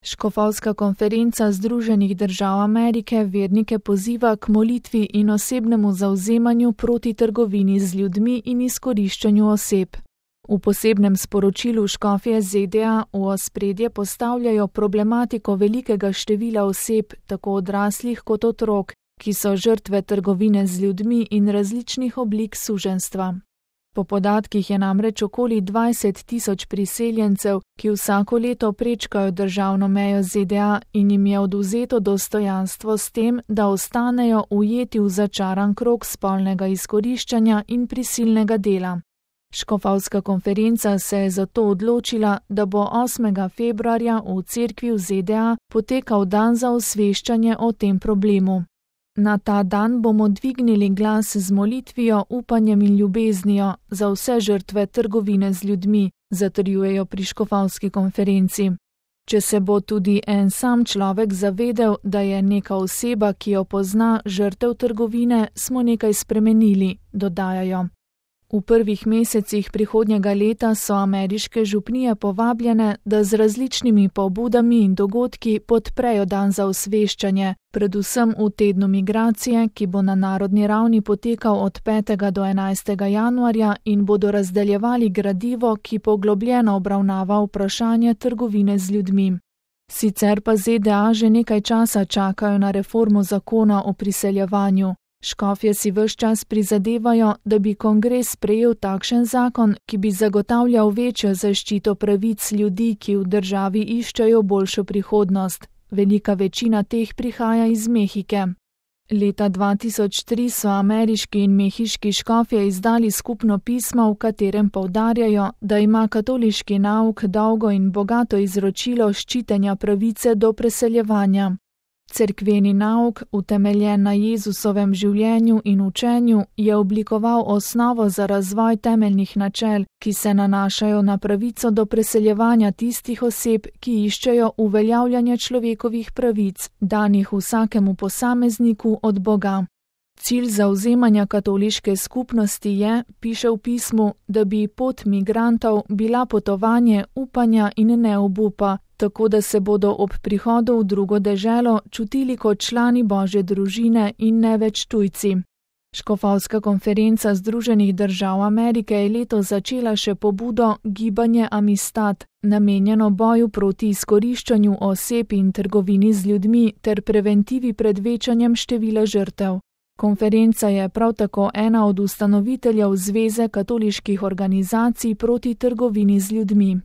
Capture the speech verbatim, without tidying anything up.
Škofovska konferenca Združenih držav Amerike vernike poziva k molitvi in osebnemu zavzemanju proti trgovini z ljudmi in izkoriščanju oseb. V posebnem sporočilu škofje Z D A v ospredje postavljajo problematiko velikega števila oseb, tako odraslih kot otrok, ki so žrtve trgovine z ljudmi in različnih oblik suženjstva. Po podatkih je namreč okoli dvajset tisoč priseljencev, ki vsako leto prečkajo državno mejo Z D A in jim je odvzeto dostojanstvo s tem, da ostanejo ujeti v začaran krog spolnega izkoriščanja in prisilnega dela. Škofovska konferenca se je zato odločila, da bo osmega februarja v cerkvi v Z D A potekal dan za osveščanje o tem problemu. Na ta dan bomo dvignili glas z molitvijo, upanjem in ljubeznijo za vse žrtve trgovine z ljudmi, zatrjujejo pri škofovski konferenci. Če se bo tudi en sam človek zavedel, da je neka oseba, ki jo pozna, žrtev trgovine, smo nekaj spremenili, dodajajo. V prvih mesecih prihodnjega leta so ameriške župnije povabljene, da z različnimi pobudami in dogodki podprejo dan za osveščanje, predvsem v tednu migracije, ki bo na narodni ravni potekal od petega do enajstega januarja in bodo razdeljevali gradivo, ki poglobljeno obravnava vprašanje trgovine z ljudmi. Sicer pa Z D A že nekaj časa čakajo na reformo zakona o priseljevanju. Škofje si ves čas prizadevajo, da bi kongres sprejel takšen zakon, ki bi zagotavljal večjo zaščito pravic ljudi, ki v državi iščejo boljšo prihodnost. Velika večina teh prihaja iz Mehike. Leta dva tisoč tri so ameriški in mehiški škofje izdali skupno pismo, v katerem poudarjajo, da ima katoliški nauk dolgo in bogato izročilo ščitenja pravice do preseljevanja. Cerkveni nauk, utemeljen na Jezusovem življenju in učenju, je oblikoval osnovo za razvoj temeljnih načel, ki se nanašajo na pravico do preseljevanja tistih oseb, ki iščejo uveljavljanje človekovih pravic, danih vsakemu posamezniku od Boga. Cilj zavzemanja katoliške skupnosti je, piše v pismu, da bi pot migrantov bila potovanje upanja in ne obupa, tako da se bodo ob prihodu v drugo deželo čutili kot člani Božje družine in ne več tujci. Škofovska konferenca Združenih držav Amerike je letos začela še pobudo Gibanje Amistad, namenjeno boju proti izkoriščanju oseb in trgovini z ljudmi ter preventivi pred večanjem števila žrtev. Konferenca je prav tako ena od ustanoviteljev Zveze katoliških organizacij proti trgovini z ljudmi.